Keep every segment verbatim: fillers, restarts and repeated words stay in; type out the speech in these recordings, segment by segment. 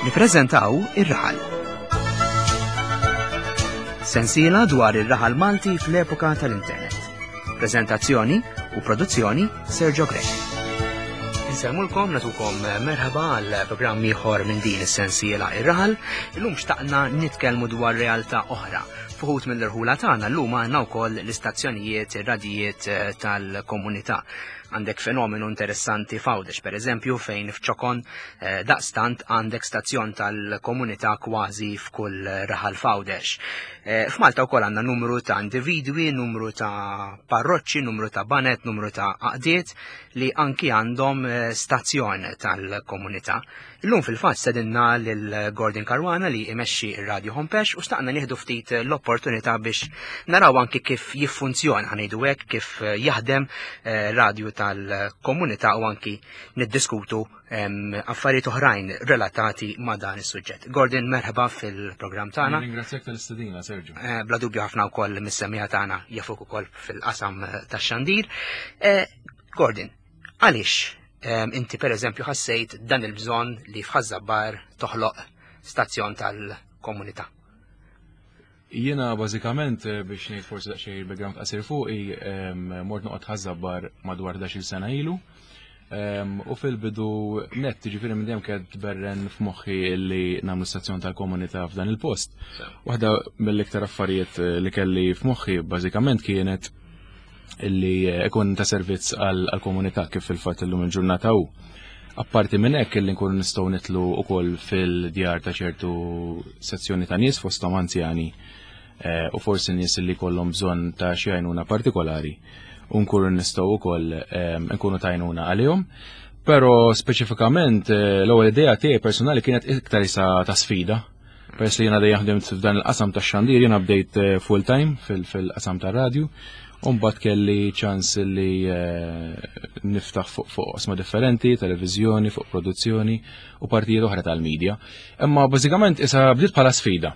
Nippreżentaw Ir-Raħal. Sensiela dwar ir-raħal Malti fl-epoka tal-internet. Prezentazzjoni u produzzjoni Sergio Grech. Insellmulkom, nagħtukom merħba għal programm ieħor minn din is-sensiela Ir-Raħal. Illum xtaqna nitkellmu dwar realtà oħra. F'uħud mill-irħula tagħna llum għandna wkoll l-istazzjonijiet, ir-radijiet eh, tal-komunità. Għandek fenomenu interessanti f'Għawdex, per eżempju, fejn f'ċokon eh, daqstant għandek stazzjon tal-komunità kważi f'kull raħal f'Għawdex. Eh, F'Malta wkoll għandna numru ta' individwi, numru ta' parroċċi, numru ta' baned, numru ta' għaqdiet li anki għandhom eh, stazzjon tal-komunità. Illum fil-fatt stedinna lil Gordon Caruana li imexxi ir-Radio Hompex u xtaqna nieħdu ftit l-opportunità biex naraw anki kif jiffunzjona, ħa ngħidu hekk, kif jaħdem eh, radio tal-komunità u anki niddiskutu em, affarijiet oħrajn relatati ma' dan is-suġġett. Gordon, merħba fil-programm tagħna. Ringrazzjak tal-istedina, Sergio. Eh, Bla dubju ħafna wkoll mis-semmiegħa tagħna jafuk ukoll fil-qasam eh, tax-xandir. Eh, Gordon, għaliex em, inti per eżempju ħassejt dan il-bżonn li f'Ħaż-Żabbar toħloq stazzjon tal-komunità? Jiena bażikament eh, biex ngħid forsi daqsxejn background qasir fuqi, em, mort noqgħod Ħaż-Żabbar madwar ħdax-il sena ilu. Em, U fil-bidu net, ġifieri minn dejjem kienet tberren f'moħħi li nagħmlu stazzjon tal-komunità f'dan il-post. Waħda mill-iktar affarijiet eh, li kelli f'moħħi bażikament kienet illi ikun ta' servizz għal-komunità kif fil-fatt illum il-ġurnata hu. Apparti minn hekk illi nkunu nistgħu nidħlu wkoll fil-djar ta' ċertu sezzjoni ta' nies, fosthom anzjani eh, u forsi nies li kollhom bżonn ta' xi għajnuna partikolari, u nkunu nistgħu wkoll eh, nkunu t'għajnuna għalihom. Però speċifikament eh, l-ewwel idea tiegħi personali kienet iktar isa ta' sfida. Peress li jiena dejjem ħdimt f'dan il-qasam tax-xandir, jiena bdejt eh, full time fil-qasam tar-radju. Umbagħad kelli ċans li eh, niftaħ fuq fuq oqsma differenti, televiżjoni, fuq produzzjoni u partijiet oħra tal-medja. Imma bażikament isa bdiet bħala sfida.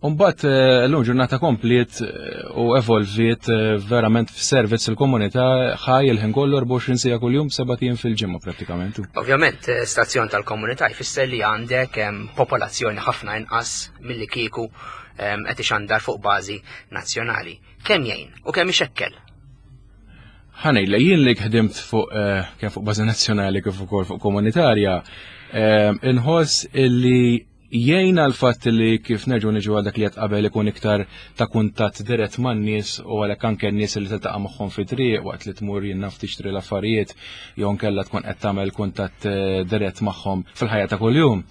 Umbagħad eh, l-lum ġurnata kompliet eh, u evolviet verament f'servizz il-komunità ħaj il-ħin kollu, erbgħa u għoxrin siegħa kuljum, sebat ijiem fil-ġimgħa prattikament. Ovvjament, stazzjon tal-komunità jfisser li għandek em, popolazzjoni ħafna inqas milli kieku em, qed ixandar fuq bażi nazzjonali. Kemm jgħin u kemm ixekkel? Ħa ngħidlek, jien li ħdimt fuq eh, kemm fuq bażi nazzjonali kif ukoll fuq komunitarja, eh, inħoss illi jgħin għal fatt li kif nerġgħu niġu għal dak li qed qabel, ikun iktar ta' kuntatt dirett man-nies u għalhekk anke n-nies li tiltaqa' magħhom fi triq waqt li tmur, jien naf, tixtri l-affarijiet jew nkella tkun qed tagħmel kuntatt eh, dirett magħhom fil-ħajja ta' kuljum.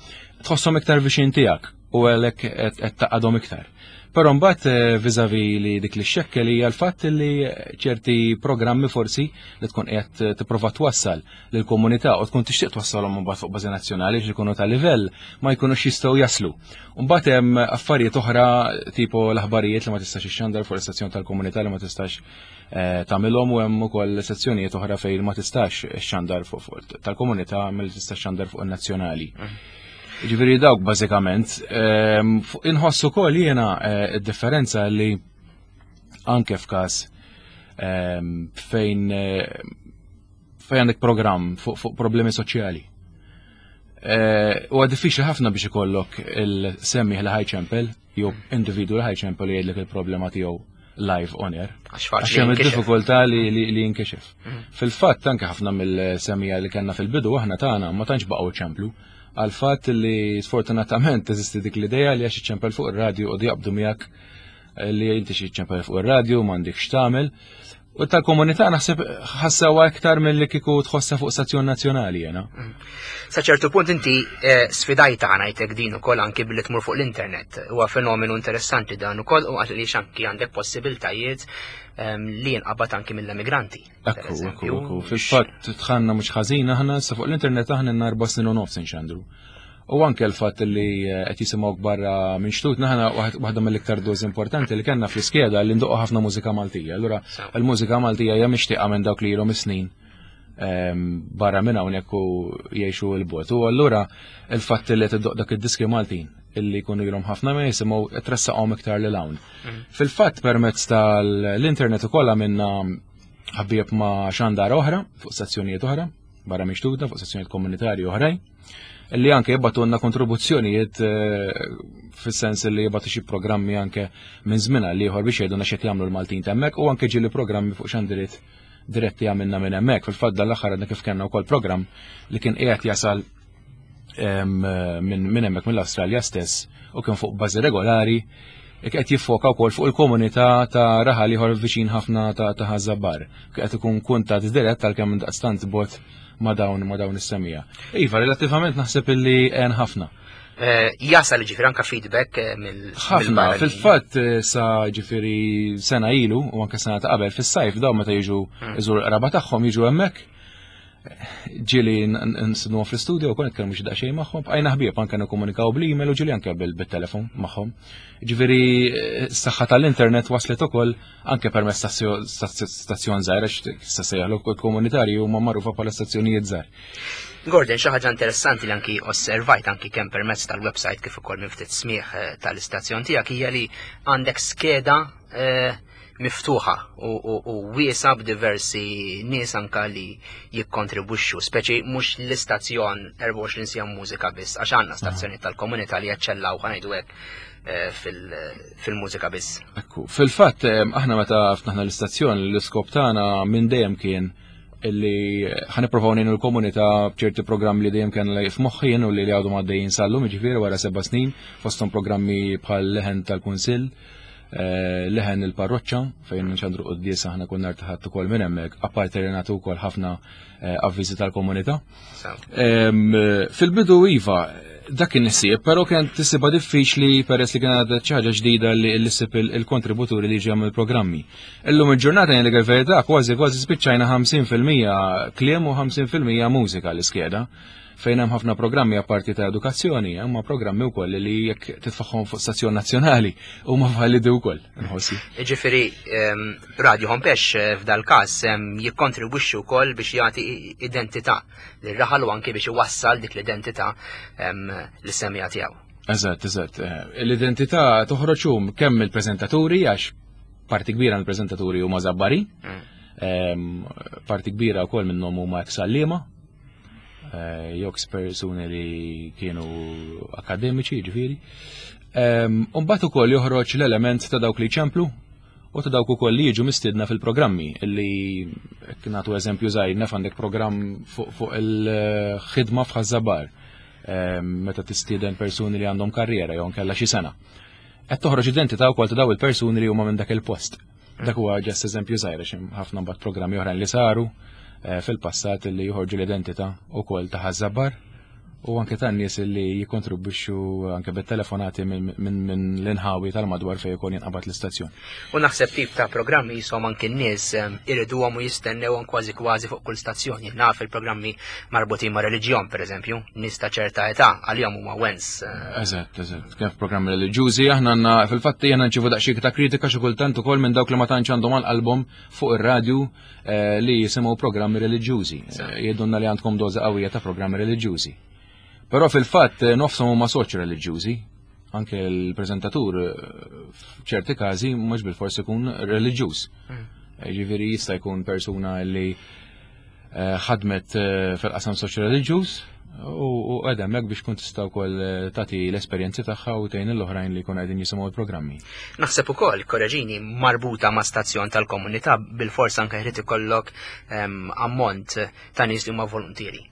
Tħosshom iktar viċin tiegħek u għalhekk qed qed taqadhom iktar. Però mbagħad eh, vis-à-vis li dik li xekkel hija l-fatt li ċerti programmi forsi li tkun qiegħed tipprova twassal lill-komunità u tkun tixtieq twassalhom mbagħad fuq bażi nazzjonali biex ikunu ta' livell, ma jkunux jistgħu jaslu. Mbagħad hemm affarijiet oħra tipo l-aħbarijiet li ma tistax ixxandar fuq l-istazzjon tal-komunità, li ma tistax eh, tagħmilhom, u hemm ukoll sezzjonijiet oħra fejn ma tistax ixxandar fuq fuq tal-komunità milli tista' xandar fuq in-nazzjonali. Ġifieri dawk bażikament, ehm, fuq- inħossu wkoll jiena eh, id-differenza li anke f'każ ehm, fejn eh, fejn għandek programm fuq fuq problemi soċjali. Eh, Huwa diffiċli ħafna biex ikollok il-semmiegħ li ħa jċempel jew individu li ħa jċempel jgħidlek il-problema tiegħu live on air. Għax Għax faċli hemm jinkixef. id-diffikultà li li li jinkixef. Fil-fatt anke ħafna mill-semmiegħa li kellna fil-bidu aħna tagħna ma tantx baqgħu ċemplu għal fatt li sfortunatament teżisti dik l-idea li għax iċċempel fuq ir-radju u jaqbdu miegħek eh, li inti xi ċempel fuq ir-radju m'għandekx tagħmel. U tal-komunità naħseb ħassawa iktar milli kieku tħossa fuq stazzjon nazzjonali jena. Sa ċertu punt inti eh, sfidajta, ngħidlek, din ukoll anki billi tmur fuq l-internet. Huwa fenomenu interessanti dan ukoll u għaliex anki għandek possibiltajiet em, li jinqabad anki mill-emigranti, per Ekku, ekku, eżempju. ekku. Fil-fatt dħalna mhux ħażin aħna sa fuq l-internet, aħna n erba' snin u nofs inxandru. U anke l-fatt li eh, qed jisimgħu barra minn xtutna aħna, waħd- waħda mill-iktar doż importanti li kellna fl-iskeda li ndoqqu ħafna mużika Maltija. Allura Sew. il-mużika Maltija hija mixtieqa minn dawk li ilhom is-snin ehm, barra minn hawnhekk u jgħixu 'l bogħod. U allura il-fatt li tiddoq dak id-diski Maltin illi jkunu ilhom ħafna ma jisimgħu tressaqhom iktar lil hawn. Fil-fatt permezz tal-internet ukoll għamilna ħbieb ma' xandar oħra fuq stazzjonijiet oħra barra minn xtutna, fuq stazzjonijiet komunitarji oħrajn. Li anke jibagħtulna kontribuzzjonijiet eh, fis-sens li jibagħtu xi programmi anke minn żmien għal ieħor biex jgħidulna x'qed jagħmlu l-Maltin t'hemmhekk u anke ġieli programmi fuq xandiriet diretti għamilna minn hemmhekk. Fil-fatt dal-aħħar għadna kif kellna wkoll programm li kien qiegħed jasal minn hemmhekk mill-Awstralja stess u kien fuq bażi regolari qed jiffoka wkoll fuq il-komunità ta' raħal ieħor viċin ħafna ta' Ħaż-Żabbar. Qed ikun kuntatt dirett għalkemm daqstant bogħod ma' dawn ma' dawn is-semmiegħa. Iva, relattivament naħseb illi għen ħafna. Eh, jasal ġifieri anka feedback eh, mill Ħafna, fil-fatt eh, sa ġifieri sena ilu u anke sena ta' qabel fis-sajf daw meta jiġu hmm. iżur qraba tagħhom jiġu hemmhekk ġieli nsinuhom fl-studio u kon nitkellmu xi daqsxejn magħhom, bqajna ħbieb anke nikkomunikaw bl-email u ġieli anke bil-telefon magħhom. Ġifieri s-saħħa tal-internet waslet ukoll anke permezz ta' stazzjon żgħir għax issa sejjaħlu komunitarji huma magħrufa bħala stazzjonijiet żgħar. Gordon, xi ħaġa interessanti li anki osservajt anki kemm permezz tal-website kif ukoll minn ftit smieħ eh, tal-istazzjon tiegħek hija li għandek skeda eh, miftuħa u wiesa b'diversi nies anka li jikkontribwixxu, speċi mhux l-istazzjon erbgħa u għoxrin siegħa mużika biss, għax għandna stazzjoni tal-komunità li jaċċellaw ħa ngħidu hekk eh, fil-mużika biss. Ekku, fil-fatt aħna meta ftaħna l-istazzjon l-iskop tagħna minn dejjem kien illi ħa nipprovaw ngħinu l-komunità b'ċerti programmi li dejjem kien f'moħħi u li għadhom għaddejjin sal-lum, ġifieri wara seba' snin, fosthom programmi bħal Leħen tal-Kunsill, eh, Leħen il-Parroċċa fejn nxandru quddiesa aħna konna rtaħat ukoll minn hemmhekk, apparti li nagħtu wkoll ħafna eh, avviżi tal-komunità. Fil-bidu iva, dak kien issib, però kien tisibha diffiċli peress li kien għadha ħaġa ġdida li ssib il-kontributuri li ġew il-programmi. Illum il-ġurnata jien il-verità kważi kważi spiċċajna ħamsin fil-mija kliem u ħamsin fil-mija mużika l-iskeda fejn hemm ħafna programmi apparti ta' edukazzjoni, huma programmi wkoll li jekk titfaħħom fuq stazzjon nazzjonali huma validi wkoll, nħossi. Ġifieri Radio Hompex eh, f'dal każ jikkontribwixxi wkoll biex jagħti identità lir-raħal u anke biex iwassal dik l-identità lis-semmiegħa tiegħu. Eżatt, eżatt. Eh, l-identità toħroġ kemm il-preżentaturi għax parti kbira mill-preżentaturi huma Żabbari, mm. parti kbira wkoll minnhom huma ex-għalliema, Eh, jew persuni li kienu akademiċi, ġifieri. Umbagħad ukoll joħroġ l-element ta' dawk li ċemplu u ta' dawk ukoll li jiġu mistiedna fil-programmi illi nagħtu eżempju żgħir naf għandek programm fuq il-ħidma f'Ħaż-Żabbar meta tistieden persuni li għandhom karriera jew nkella xi sena. Qed toħroġ identità wkoll ta' daw il-persuni li huma minn dak il-post. Dak huwa just eżempju żgħir għax ħafna mbagħad programmi oħrajn li saru eh, fil-passat li joħorġu l-identità ukoll ta' Ħaż-Żabbar u anke tan nies li jikontribwixxu anke bit-telefonati minn l-inħawi tal-madwar fejn ikun jinqabad l-istazzjon. U naħseb tip ta' programmi jisom anke n-nies iriduhom u jistennewhom kważi kważi fuq kull stazzjon. Naf il-programmi marbutin ma' reliġjon, pereżempju, nies ta' ċerta età għalihom huma wens. Eh. Eżatt, eżatt. Kif programmi reliġjużi aħna għandna fil-fatt jiena nċivu daqsxejn ta' kritika xi kultant ukoll minn dawk li ma tantx għandhom għal qalbhom fuq ir-radju eh, li jisimgħu programmi reliġjużi. Eh, jgħidulna li għandkom doża qawwija ta' programmi reliġjużi. Però fil-fatt eh, nofshom huma soċ reliġjużi, anke l-preżentatur eh, f'ċerti każi mhux bil-fors ikun reliġjuż. Mm. Eh, ġifieri jista' jkun persuna li ħadmet fil-qasam soċ reliġjuż u għedha hemmhekk biex kun tista' wkoll tagħti l-esperjenzi tagħha u tgħin l-oħrajn li jkunu qegħdin jisimgħu l-programmi. Naħseb ukoll, korreġini, marbuta ma' stazzjon tal-komunità bil-fors anke jrid ikollok ehm, ammont ta' nies li huma volontieri.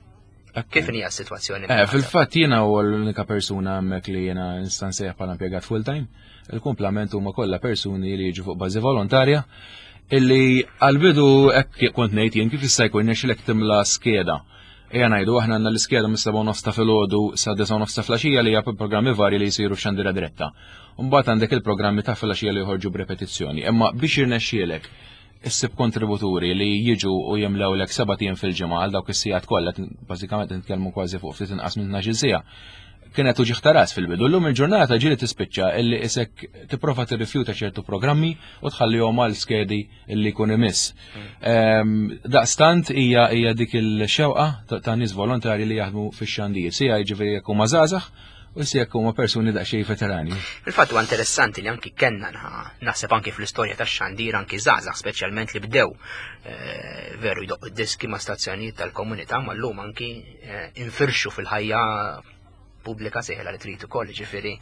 Kif hija s-sitwazzjoni? Eh, fil-fatt jiena u l-unika persuna hemmhekk li jiena nista' nsejjaħ bħala impjegat full-time. Il-kumplament huma kollha persuni li jiġu fuq bażi volontarja illi għal-bidu hekk kont ngħid jien kif jista' jkun nexxilek timla skeda. Ejja ngħidu aħna għandna l-iskeda mis-sebgħa nofs ta' filgħodu sa disgħa nofs ta' filgħaxija li hija programmi varji li jsiru f'xandira diretta. Mbagħad għandek il-programmi ta' filgħaxija li joħorġu b'repetizzjoni. Imma biex jirnexxielek issib kontributuri li jiġu u jimlew lek sebat ijiem fil-ġimgħa għal dawk is-sigħat kollha, bażikament nitkellmu kważi fuq ftit inqas minn tnax-il siegħa. Kienet uġigħ ta' ras fil-bidu. Llum il-ġurnata ġieli tispiċċa illi isek tipprova tirrifjuta ċertu programmi u tħallihom għal skedi illi jkun imiss. Ehm, daqstant hija hija dik il-xewqa ta' nies volontari li jaħdmu fix-xandir. Sija jiġifieri jekk huma żgħażagħ u si jekk huma persuni daqsxejn veterani. Il-fatt huwa interessanti li anki kellna naħseb anki fl-istorja tax-xandir anki żgħażagħ speċjalment li bdew eh, veru jdoqqu diski ma' stazzjonijiet tal-komunità, ma llum anki eh, infirxu fil-ħajja pubblika seħla li trid ukoll, ġifieri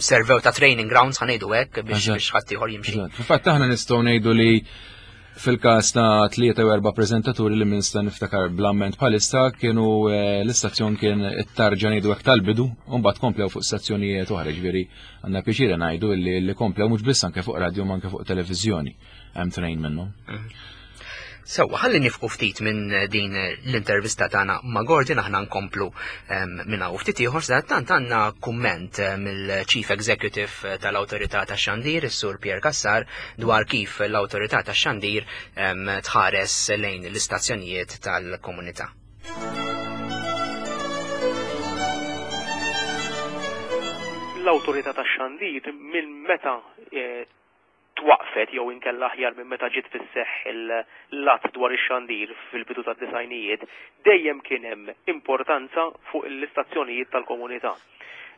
servew ta' training grounds, ħa ngħidu hekk, biex biex ħadd ieħor jimxi. Fil-fatt aħna nistgħu ngħidu li fil-każ ta' tlieta u erba' preżentaturi li minn sta niftakar bl-amment bħalissa kienu eh, l-istazzjon kien it-tarġa, ngħidu hekk, tal-bidu, u mbagħad komplew fuq stazzjonijiet oħra, ġifieri għandna pjaċira ngħidu li li komplew mhux biss anke fuq radio ma anke fuq televiżjoni, hemm tnejn minnhom. Mhm. Sewwa, ħalli nieqfu ftit minn din l-intervista tagħna ma' Gordon, aħna nkomplu minn hawn ftit ieħor. Tant għandna kumment mill-Chief Executive tal-Awtorità tax-Xandir, is-Sur Pierre Cassar, dwar kif l-Awtorità tax-Xandir tħares lejn l-istazzjonijiet tal-komunità. L-Awtorità tax-Xandir minn meta eh, twaqfet, jew inkella aħjar minn meta ġiet fis-seħħ l-att dwar ix-xandir fil-bidu tad-disgħinijiet, dejjem kien hemm importanza fuq l-istazzjonijiet tal-komunità.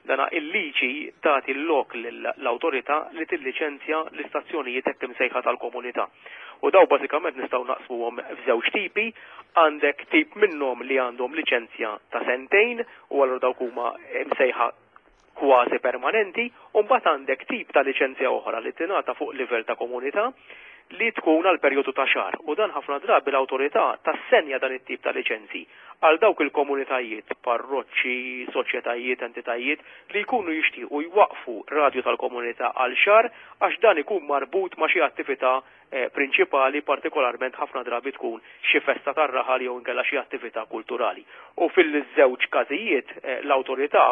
Dana il-liġi tagħti l-lok l-awtorità li tilliċenzja l-istazzjonijiet hekk imsejħa tal-komunità. U daw bażikament nistgħu naqsmuhom f'żewġ tipi: għandek tip minnhom li għandhom liċenzja ta' sentejn u allura dawk huma msejħa kważi permanenti, u mbagħad għandek tip ta' liċenzja oħra li tingħata fuq livell ta' komunità li tkun għal perjodu ta' xahar. U dan ħafna drabi l-awtorità tassenja dan it-tip ta' liċenzi għal dawk il-komunitajiet, parroċċi, soċjetajiet, entitajiet li jkunu jixtiequ jwaqfu radju tal-komunità għal xahar għax dan ikun marbut ma' xi attività eh, prinċipali, partikolarment ħafna drabi tkun xi festa tar-raħal jew inkella xi attività kulturali. U fil-żewġ każijiet eh, l-awtorità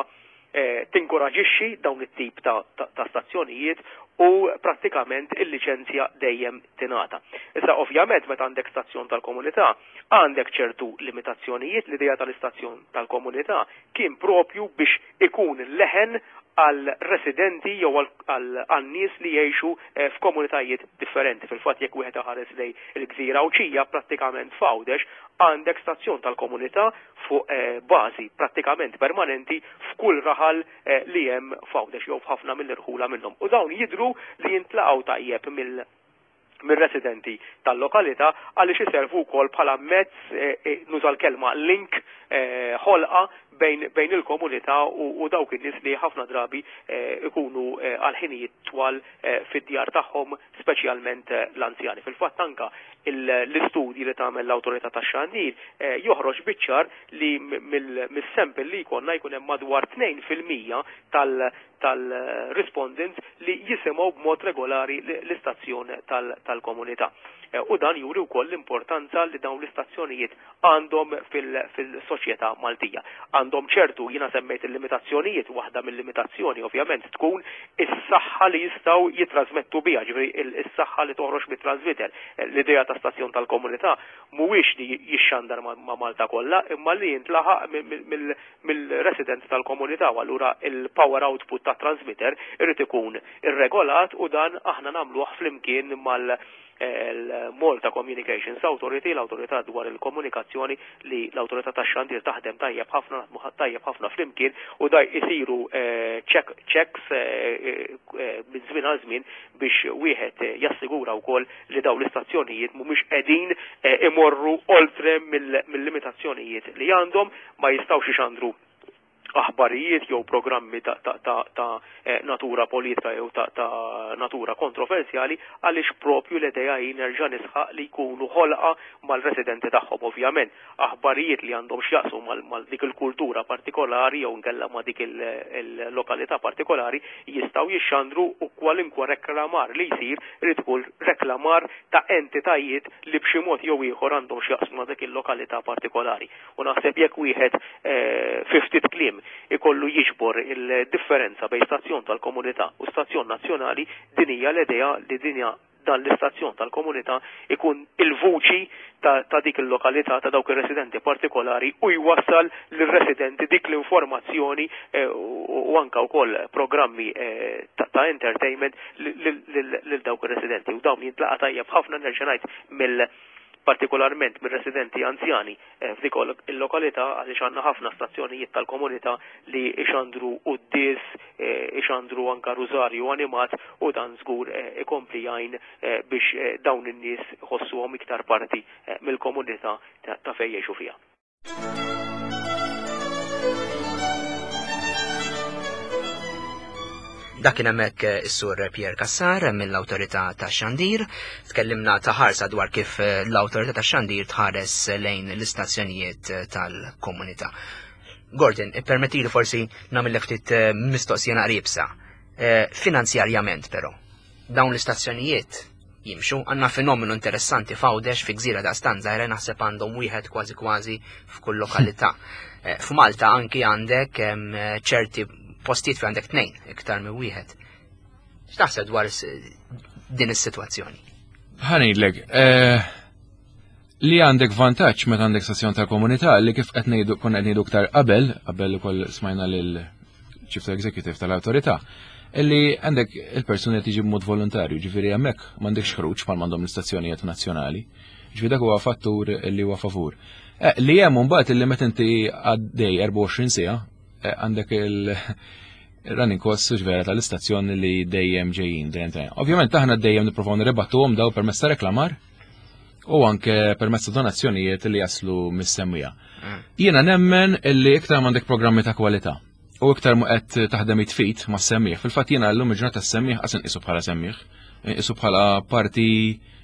eh, tinkoraġixxi dawn it-tip ta', ta, ta stazzjonijiet u prattikament il-liċenzja dejjem tingħata. Issa ovvjament meta għandek stazzjon tal-komunità għandek ċertu limitazzjonijiet. L-idea tal-istazzjon tal-komunità kien propju biex ikun leħen għal residenti jew għal nies li jgħixu eh, f'komunitajiet differenti. Fil-fatt jekk wieħed iħares lejn il-gżira Għawdxija, prattikament f'Għawdex għandek stazzjon tal-komunità fuq eh, bażi prattikament permanenti f'kull raħal eh, li hemm f'Għawdex jew f'ħafna mill-irħula minnhom. U dawn jidru li jintlaqgħu tajjeb mill mir-residenti tal-lokalità għaliex iservu wkoll bħala mezz, nuża l-kelma link, ħolqa bejn, bejn il-komunità u, u dawk in-nies li ħafna drabi ikunu għal ħinijiet twal fid-djar tagħhom, speċjalment l-anzjani. Fil-fatt anka l-istudji li tagħmel l-Awtorità tax-Xandir joħroġ biċ-ċar li mill-sample li jkollna jkun hemm madwar tnejn fil-mija tal-respondents li jisimgħu b'mod regolari l-istazzjon tal-komunità. U dan juri wkoll l-importanza li dawn l-istazzjonijiet għandhom fil-soċjetà Maltija. Għandhom ċertu, jiena semmejt il-limitazzjonijiet, waħda mill-limitazzjoni ovvjament tkun is-saħħa li jistgħu jitrasmettu biha, ġifieri is-saħħa li toħroġ mit-transmitter. L-idea ta' stazzjon tal-komunità mhuwiex li jixxandar ma' Malta kollha, imma li jintlaħaq mill-residents tal-komunità, u allura il-power output ta' transmitter irid ikun irregolat, u dan aħna nagħmluh flimkien mal Malta Communications Authority, l-autorità dwar il-komunikazzjoni, li l-autorità tax-xandir taħdem tajjeb ħafna, tajjeb ħafna flimkien, u daj isiru check, checks minn żmien għal żmien biex wieħed jassigura wkoll li dawn l-istazzjonijiet mhumiex qegħdin imorru oltre mill-limitazzjonijiet li għandhom, ma jistgħux ixandru aħbarijiet jew programmi ta', ta, ta, ta natura politika jew ta', ta natura kontroversjali, għaliex propju l-idea hi, nerġa' nisħaq, li jkunu ħolqa mal-residenti tagħhom. Ovvjament aħbarijiet li għandhom x'jaqsmu mal dik il-kultura partikolari jew inkella ma' dik il-lokalità partikolari jistgħu jixxandru, u kwalinkwa reklamar li jsir irid ikun reklamar ta' entitajiet li b'xi mod jew ieħor għandhom x'jaqsmu ma' dik il-lokalità partikolari. U naħseb jekk wieħed fi ftit kliem ikollu jiġbor il-differenza bejn stazzjon tal-komunità u stazzjon nazzjonali, din hija l-idea li dinja dan l-istazzjon tal-komunità ikun il-vuċi ta', ta' dik il-lokalità, ta' dawk ir-residenti partikolari, u jwassal lir-residenti dik l-informazzjoni eh, u, u anka wkoll programmi eh, ta', ta' entertainment lil dawk ir-residenti. U dawn jintlaqa' tajjeb ħafna, nerġa' ngħid, mill partikolarment mir-residenti anzjani f'dik il-lokalità, għaliex għandna ħafna stazzjonijiet tal-komunità li ixandru quddies, ixandru anka rużarju animat, u dan żgur ikompli jgħin biex dawn in-nies ħossuhom iktar parti mill-komunità ta' fejn jgħixu fiha. Dak kien hemmhekk is-Sur Pierre Cassar mill-Awtorità tax-Xandir. Tkellimna ta' ħarsa dwar kif l-Awtorità tax-Xandir tħares lejn l-istazzjonijiet tal-komunità. Gordon, ippermettili forsi nagħmel ftit mistoqsija naqribsa. Finanzjarjament però, dawn l-istazzjonijiet jimxu, għandna fenomenu interessanti f'Għawdex fi gżira daqstant żgħira, naħseb għandhom wieħed kważi kważi f'kull lokalità. F'Malta anki għandek ċerti postijiet fi għandek tnejn, iktar minn wieħed. X'taħseb dwar din is-sitwazzjoni? Ħa ngħidlek, li għandek vantaġġ meta għandek stazzjon tal-komunità li kif qed ngħidu konna qed ngħidu iktar qabel, qabel ukoll smajna lil Chief Executive tal-Awtorità, illi għandek il-persuni qed jiġi b'mod volontarju, ġifieri hemmhekk m'għandekx ħruġ bħal m'għandhom l-istazzjonijiet nazzjonali. Ġifieri dak huwa fattur li huwa favur. Li hemm imbagħad illi meta inti għaddej erbgħa u għoxrin siegħa għandek il-running costs vera tal-istazzjon li dejjem ġejjin, dejjem ġejjin. Ovvjament aħna dejjem nippruvaw nirribattuhom daw permezz ta' reklamar u anke permezz ta' donazzjonijiet li jaslu mis-semmija. Jiena nemmen illi iktar m'għandek programmi ta' kwalità u iktar mu qed taħdem it-tfit ma' semmieħ. Fil-fatt jiena llum il-ġurnata s-semmieħ qas inqisu bħala semmieħ, inqisu bħala parti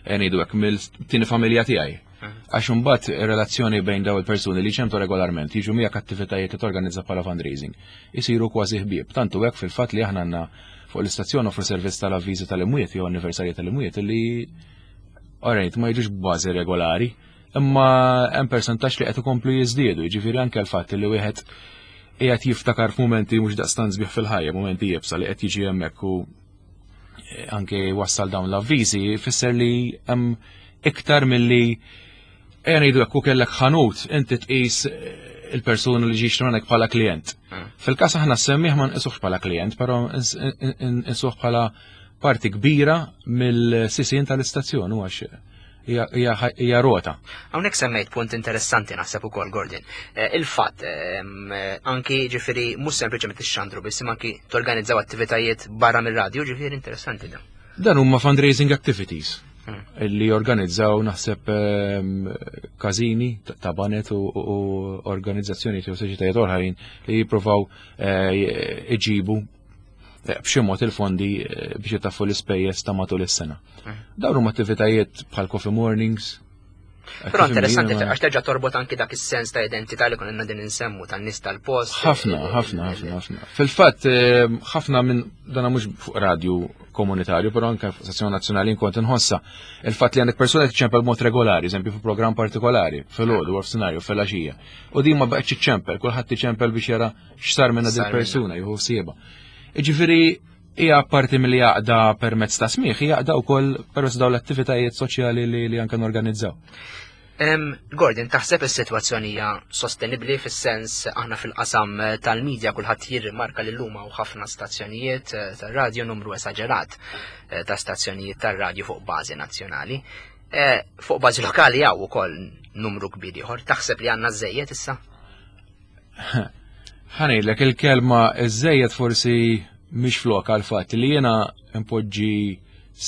ngħidu hekk mill-tieni familja tiegħi. Għax imbagħad ir-relazzjoni bejn daw il-persuni li ċemtu regolarment jiġu miegħek attivitajiet li torganizza bħala fundraising isiru kważi ħbieb. Tantu hekk fil-fatt li aħna għandna fuq l-istazzjon offru servizz tal-avviżi tal-imwiet jew anniversarji tal-imwiet li orajt ma jiġux b'bażi regolari, imma hemm persentaġġ li qed ikomplu jiżdiedu, jiġifieri anke l-fatt li wieħed qiegħed jiftakar f'mumenti mhux daqstant sbieħ fil-ħajja, mumenti iebsa li qed jiġi hemmhekk u anke wassal dawn l-avviżi, ifisser li hemm iktar milli ejja ngħidu hekk kellek ħanut inti tqis il-persuna li ġiex hawnhekk bħala klient. Fil-każ aħna semmih ma nqisuhx bħala klient, però nqisuh bħala parti kbira mill-sisien tal-istazzjon u għax hija rota. Hawnhekk semmejt punt interessanti naħseb ukoll, Gordon. Il-fatt anki ġifieri mhux sempliċement ixxandru biss imma anki torganizzaw attivitajiet barra mir-radju, ġifieri interessanti dan. Dan huma fundraising activities li organizzaw naħseb każini ta' banet u organizzazzjoni jew soċjetajiet oħrajn li jippruvaw iġibu b'xi mod il-fondi biex jitaffu l-ispejjeż ta' matul is-sena. Dawn huma attivitajiet bħal coffee mornings. Però interessanti għax terġa' torbot anki dak is-sens ta' identità li konna din insemmu tan-nies tal-post. Ħafna, ħafna, ħafna, ħafna. Fil-fatt ħafna minn dana mhux fuq radju komunitarju, però anke fuq stazzjon nazzjonali nkont inħossa il-fatt li għandek persuna tiċċempel b'mod regolari, eżempju fuq programm partikolari, filgħodu u f'sinarju fil-għaxija. U din ma baqgħetx iċċempel, kulħadd iċempel biex jara x'sar minn din il-persuna, jieħu ħsiebha. Jiġifieri hija parti milli għaqda permezz ta' smigħ, hija għaqda wkoll permezz dawn l-attivitajiet soċjali li, li anke norganizzaw. Gordon, taħseb is-sitwazzjoni hija sostenibbli fis-sens aħna fil-qasam tal-medja kulħadd jirrimarka li llum hawn ħafna stazzjonijiet tar-radju, numru esaġerat ta' stazzjonijiet tar-radju fuq bażi nazzjonali. Fuq bażi lokali hawn ukoll numru kbir ieħor. Taħseb li għandna żejjed issa? Ħa ngħidlek il-kelma żejjed forsi mhix flok għal fatt li jiena impoġġi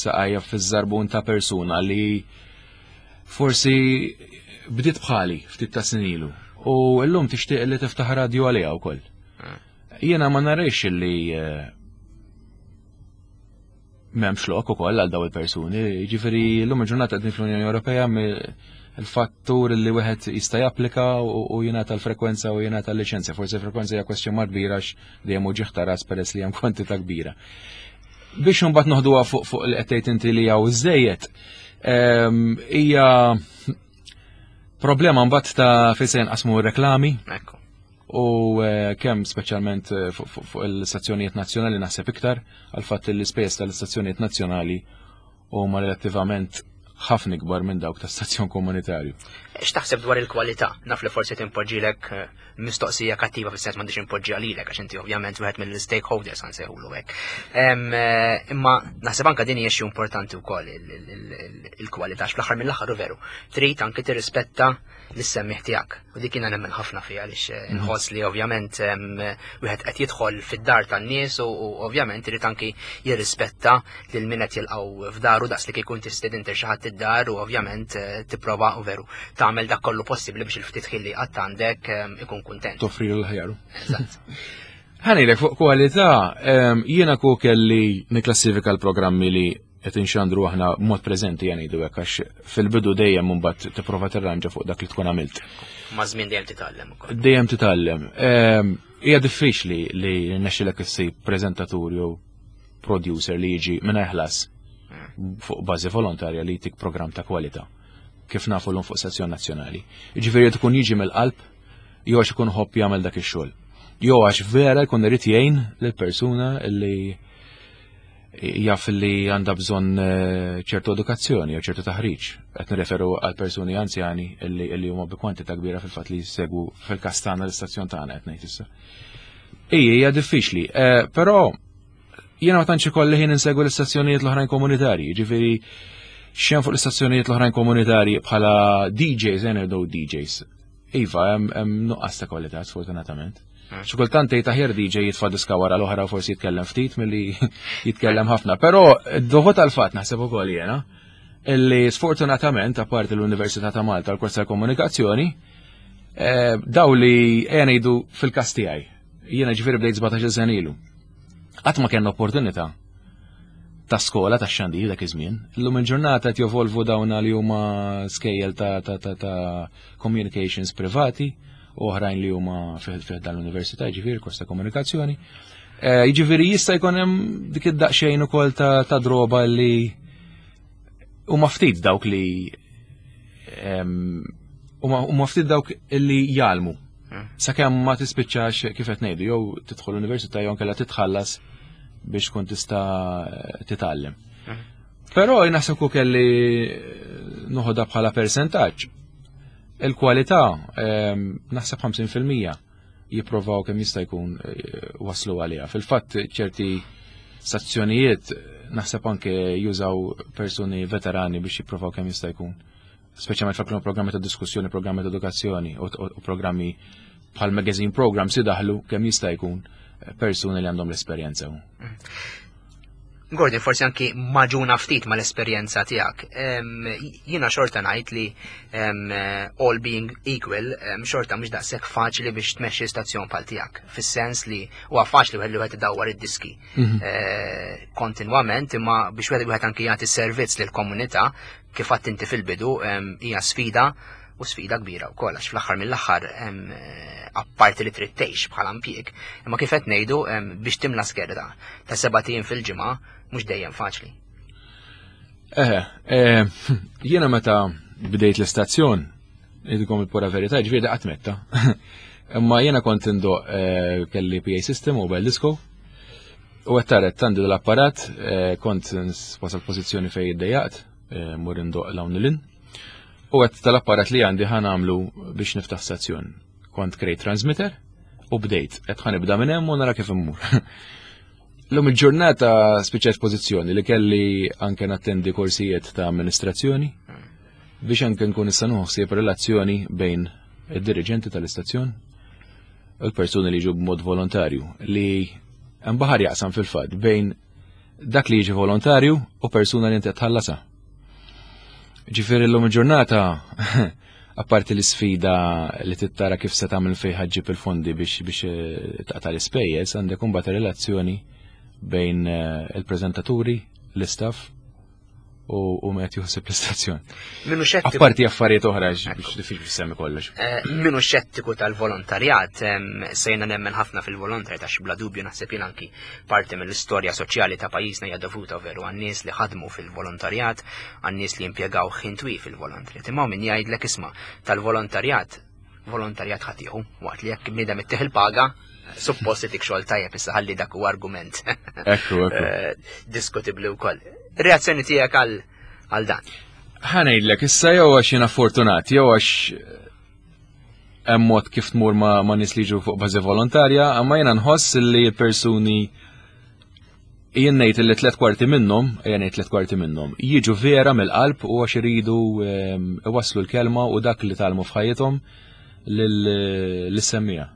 saqajja fiż-żarbun ta' persuna li forsi bdiet bħali ftit ta' snin ilu u llum tixtieq li tiftaħ radju għaliha wkoll. Jiena ma narix li m'hemmx lok ukoll għal daw il-persuni, jiġifieri llum il-ġurnata qegħdin fl-Unjoni Ewropea il-fattur li wieħed jista' japplika u jingħata l-frekwenza u jingħata l-liċenzja. Forsi l-frekwenza hija question mark kbira għax dejjem hu ġieħ ta' ras peress li hemm kwantità kbira. Biex imbagħad noħduha fuq fuq li qed tgħid inti li hawn iżejjed, hija problema mbagħad ta' fejn se jinqasmu r-reklami. U kemm speċjalment fuq il-stazzjonijiet nazzjonali naħseb iktar għal fatt li l-ispejjeż tal-istazzjonijiet nazzjonali huma relattivament Ħafna ikbar minn dawk ta' stazzjon komunitarju. X'taħseb dwar il-kwalità? Naf li forsi timpoġġilek eh, mistoqsija kattiva, fis-sens m'għandix impoġġi għalilek għax inti ovvjament wieħed mill-stakeholders, ħa nsejħulu hekk. Eh, imma naħseb anke din hija xi importanti wkoll, il-kwalità, fl-aħħar mill-aħħar veru. Trid anke tirrispetta lis-semmiegħ tiegħek. U dik jiena nemmen ħafna fiha għaliex eh, mhm. nħoss li ovvjament wieħed qed jidħol fid-dar tan-nies u ovvjament irid anki jirrispetta lil min qed jilqgħu f'daru, daqs li kieku tistieden xi ħadd id-dar, u ovvjament eh, tipprova u veru tagħmel dak kollu possibbli biex il-ftit ħin li qatt għandek ikun kuntent. Toffri l-ħjaru. Eżatt. Ħa ngħidlek, fuq kwalità, jiena ku kelli niklassifika l-programmi li qed inxandru aħna mod preżenti, ngħidu hekk, għax fil-bidu dejjem mbagħad tipprova tirranġa fuq dak li tkun għamilt. Ma' żmien dejjem titgħallem ukoll. Dejjem titgħallem. Ehm, hija diffiċli li nexxilek issib preżentatur jew producer li jiġi mingħajr ħlas hmm. fuq bażi volontarja li jtik programm ta' kwalità kif nafu l fuq stazzjon nazzjonali. Jiġifieri tkun jiġi mill-qalb, jew għax ikun ħobb jagħmel dak ix-xogħol. Jew għax vera jkun irid jgħin lill-persuna li jaf li għandha bżonn eh, ċertu edukazzjoni jew ċertu taħriġ. Qed nirreferu għal persuni anzjani illi huma bi kwantità kbira fil-fatt li jsegwu fil-każ tagħna l-istazzjon tagħna qed ngħid issa. Ija, hija diffiċli, eh, però jiena ma tantx ikolli ħin insegwu l-istazzjonijiet l-oħrajn komunitarji, ġifieri xejn fuq l-istazzjonijiet l-oħrajn komunitarji bħala D Js, ngħidu D Js. Iva, hemm nuqqas ta' kwalità, sfortunatament. Xi kultant tgħid aħjar D J jitfa' diska wara l-oħra u forsi jitkellem ftit milli jitkellem ħafna. Però dovut għal-fatt, naħseb ukoll jiena, illi sfortunatament, apparti l-Università ta' Malta, l-kors tal-komunikazzjoni, eh, daw li ngħidu fil-każ tiegħi. Jiena ġifieri bdejt sbatax-il sena ilu. Qatt ma kellna opportunità ta' skola ta' xandir dak iż-żmien. Illum il-ġurnata qed jovolvu dawna li huma skejjel ta' ta' ta' ta' communications privati u oħrajn li huma fih dan l-università, ġifieri kors ta' komunikazzjoni. Eh, jiġifieri jista' jkun hemm dik id-daqsxejn ukoll ta' ta' droba li huma ftit dawk li huma ftit dawk li jgħallmu. Hmm. Sakemm ma tispiċċax, kif qed ngħidu, jew tidħol l-università jew nkella titħallas biex tkun tista' titgħallem. Hmm. Però naħseb kelli noħodha bħala persentaġġ. Il-kwalità, naħseb ħamsin fil-mija jipprovaw kemm jista' jkun eh, waslu għaliha. Fil-fatt ċerti stazzjonijiet naħseb anke jużaw persuni veterani biex jipprovaw kemm jista' jkun. Speċjalment f'aklu programmi ta' diskussjoni, programmi ta' edukazzjoni u programmi bħal magazine programs idaħlu kemm jista' jkun persuni li għandhom l-esperjenza. Mm. Gordon, forsi anki magħġuna ftit mal-esperjenza tiegħek. Jiena xorta ngħid li all being equal, xorta mhux daqshekk faċli biex tmexxi stazzjon bħal tiegħek. Fis-sens li huwa faċli wieħed li wieħed idawwar id-diski mhm. eh, kontinwament, imma biex wieħed wieħed anki jagħti servizz lill-komunità, kif għedt inti fil-bidu, hija sfida u sfida kbira wkoll, għax fl-aħħar mill-aħħar, apparti li trid tgħix bħala impjieg, imma kif qed ngħidu, biex timla skeda ta' sebat ijiem fil-ġimgħa mhux dejjem faċli. Eh, eh, jiena meta bdejt l-istazzjon, ngħidilkom il-pura verità, ġifieri qatt metta. Imma jiena kont indoqq, eh, kelli P A system, mobile disco, u għettaret għandi l-apparat, eh, kont wasal pożizzjoni fej iddejjaqt, mur indoqq 'l hawn. U għedt tal-apparat li għandi ħa nagħmlu biex niftaħ stazzjon. Kont krejt transmitter u bdejt. Għedt ħa nibda minn hemm u nara kif immur. L-lum il-ġurnata spiċċajt pożizzjoni li kelli anke nattendi korsijiet ta' amministrazzjoni biex anke nkun nista' ħsieb relazzjoni bejn id-dirigenti tal-istazzjon u l-persuni li jiġu b'mod volontarju, li hemm baħar jaqsam fil-fatt bejn dak li jiġi volontarju u persuna li inti tħallasa. Ġifieri l-lum il-ġurnata, apparti l-sfida li tittara kif se tagħmel fejn ħa ġġib il-fondi biex biex eh, taqta' l-ispejjeż, għandek imbagħad relazzjoni bejn eh, il-preżentaturi, l-istaff u met juħseb l-istazzjon. Minu xettiku. Apparti affarijiet oħra biex diffiċli semmi kollox. Eh, minu xettiku tal-volontarjat, sejna nemmen ħafna fil-volontarjat għax bla dubju naħseb jien anki parti mill-istorja soċjali ta' pajjiżna hija dovuta veru għan-nies li ħadmu fil-volontarjat, għan-nies li impjegaw ħin twil fil-volontarjat. Imma min jgħidlek, "Isma', tal-volontarjat, volontarjat ħa tieħu," waqt li jekk bniedem ittih il-paga, suppost itik xogħol tajjeb. Issa ħalli dak huwa argument Ekku, ekku. Eh, diskutibbli wkoll. Reazzjoni tiegħek għal għal dan? Ħa ngħidlek, issa jew għax jiena fortunat, jew għax hemm mod kif tmur ma, ma nies li jiġu fuq bażi volontarja, imma jiena nħoss li persuni, jien ngħid li tliet kwarti minnhom, jien ngħid tliet kwarti minnhom, jiġu vera mill-qalb u għax iridu ehm, iwasslu l-kelma u dak li tgħallmu f'ħajjithom lis-semmiegħa.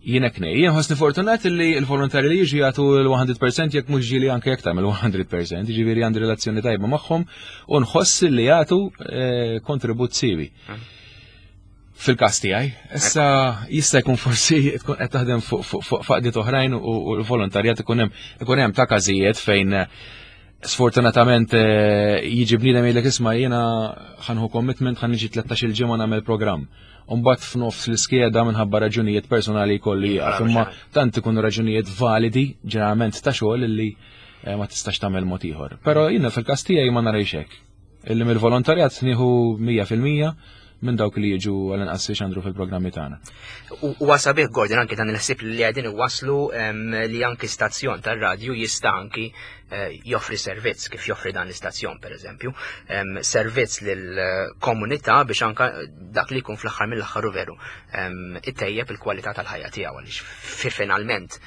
Jien hekk ngħid, jien ħossni fortunat li l-volontari li jiġu jagħtu l-mija fil-mija, jekk mhux ġieli anke jekk tagħmel mija fil-mija, jiġifieri għandi relazzjoni tajba magħhom u nħoss li jagħtu eh, kontribut siewi. Fil-każ tiegħi, issa jista' jkun forsi tkun qed taħdem fuq fuq għaqdiet oħrajn u l-volontarjat ikun hemm ikun hemm ta' każijiet fejn eh, sfortunatament eh, jiġi bniedem jgħidlek, "Isma', jiena ħa nieħu commitment, ħa niġi tlettax-il ġimgħa nagħmel programm." Umbagħad f'nofs l-iskeda minħabba raġunijiet personali jkollu jieqaf, imma tant ikunu raġunijiet validi, ġeneralment ta' xogħol, illi eh, ma tistax tagħmel mod ieħor. Però jiena fil-każ tiegħi ma narajx hekk. Illi mill-volontarjat nieħu mija fil-mija minn dawk li jiġu għal-inqas xandru fil-programmi tagħna. U sabiħ, Gordon, anki dan il-ħsieb li qegħdin iwasslu li anki stazzjon tar-radju jista' anki eh, joffri servizz kif joffri dan l-istazzjon, per eżempju, servizz lill-komunità biex anka dak li jkun fl-aħħar mill-aħħar u veru ittejjeb il-kwalità tal-ħajja tiegħu, għaliex finalment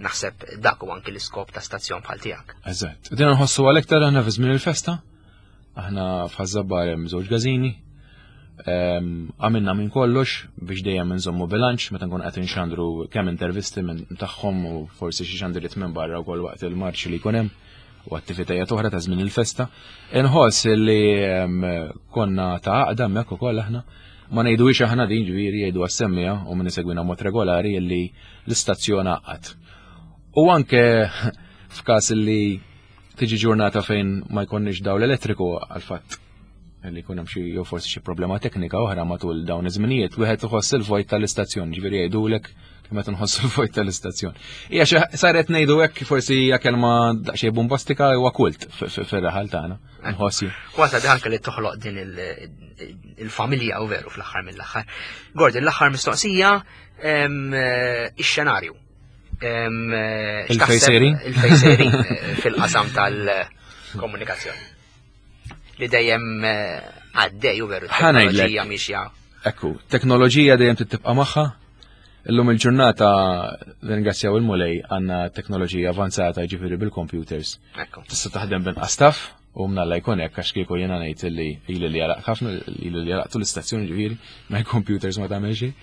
naħseb dak u anki l-iskop ta' stazzjon bħal tiegħek. Eżatt. Din nħossu għal-iktar aħna fi żmien il-festa. Aħna f'Ħaż-Żabbar hemm żewġ każini. Għamilna minn kollox biex dejjem nżommu bilanċ meta nkun qed inxandru kemm intervisti minn tagħhom u forsi xi xandiriet minn barra wkoll waqt il-marċ li jkun hemm u attivitajiet oħra ta' żmien il-festa. Inħoss li konna ta' għaqda hemmhekk ukoll aħna. Ma ngħiduhiex aħna din, ġifieri jgħidu għas-semmiegħa u min isegwina mod regolari li l-istazzjon għaqqad. U anke f'każ li tiġi ġurnata fejn ma jkollniex dawl elettriku għal fatt li jkun hemm xi jew forsi xi problema teknika oħra matul dawn iż-żminijiet, wieħed iħoss il-vojt tal-istazzjon, ġifieri jgħidulek kemm qed nħossu l-vojt tal-istazzjon. Hija xi saret ngħidu hekk, forsi hija kelma daqsxejn bombastika, huwa kult fir-raħal tagħna. Nħossi. Kważi anke li toħloq din il-familja u veru fl-aħħar mill-aħħar. Gordon, l-aħħar mistoqsija, ix-xenarju. Il-fejn sejrin? Il-fejn sejrin fil-qasam tal-komunikazzjoni. Li dejjem għaddej u veru teknoloġija mixja. Ekku, teknoloġija dejjem tibqa' magħha. Illum il-ġurnata, ringrazzjaw il-Mulej, għandna teknoloġija avanzata, ġifieri bil-computers. Tista' taħdem b'inqas staff u mnalla jkun hekk, għax kieku jiena ngħid li ili li għalaq ħafna, ili li għalaqtu l-istazzjoni, ġifieri ma' computers ma tagħmel xejn.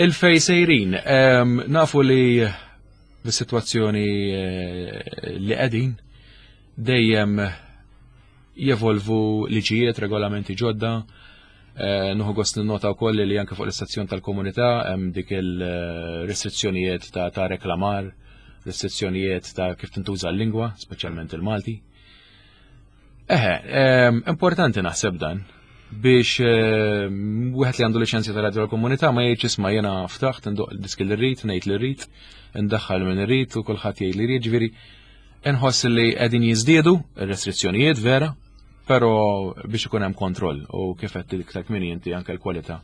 Il-fejn sejrin, nafu li bis-sitwazzjoni eh, li qegħdin dejjem jevolvu liġijiet, regolamenti ġodda. Eh, Nieħu gost nota wkoll li anke fuq l-istazzjon tal-komunità hemm dik il-restrizzjonijiet ta', ta reklamar, restrizzjonijiet ta' kif tintuża l-lingwa, speċjalment il-Malti. Eħe, importanti naħseb dan biex wieħed li għandu liċenzja ta' radio l-komunità ma jgħidx, "Isma', jiena ftaħt, ndoqq diski li rrid, ngħid li rrid, ndaħħal min irrid u kulħadd jgħid li rrid." Ġifieri inħoss li qegħdin jiżdiedu ir-restrizzjonijiet vera, però biex ikun hemm kontroll u kif qed iktar kmieni inti, anke l-kwalità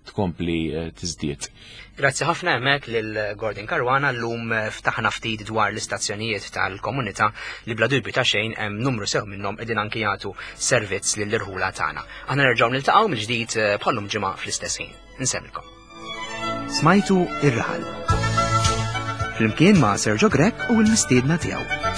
tkompli eh, tiżdied. Grazzi ħafna hemmhekk lil Gordon Caruana. Llum eh, ftaħna ftit dwar l-istazzjonijiet tal-komunità li bla dubju ta' xejn hemm numru sew minnhom qegħdin anki jagħtu servizz lill-irħula tagħna. Aħna nerġgħu niltaqgħu mill-ġdid eh, bħallum ġimgħa fl-istess ħin. Insellmilkom. Smajtu Ir-Raħal. Flimkien ma' Sergio Grech u l-mistiedna tiegħu.